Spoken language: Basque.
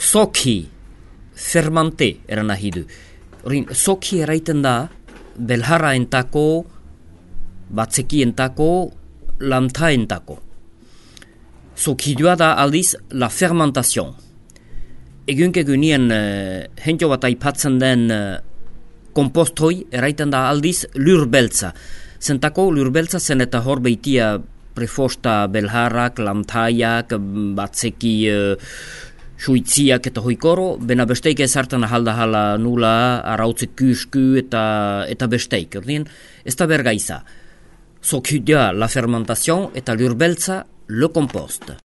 soki, fermante eran nahi du. Horin, soki eraiten da, belharra entako, batzeki entako, lamta entako. Sokidua da aldiz la fermentation. Egunien hentio bat aipatzen den kompostoi eraiten da aldiz lurbeltza. Zentako lurbeltza zen eta hor beitia prefosta belharrak, lamtaiak, batzeki suitziak eta hoikoro, bena besteik ezartan ahalda nula, arautze kusku eta besteik. Ez da bergaiza. Sokidua la fermentation eta lurbeltza le compost.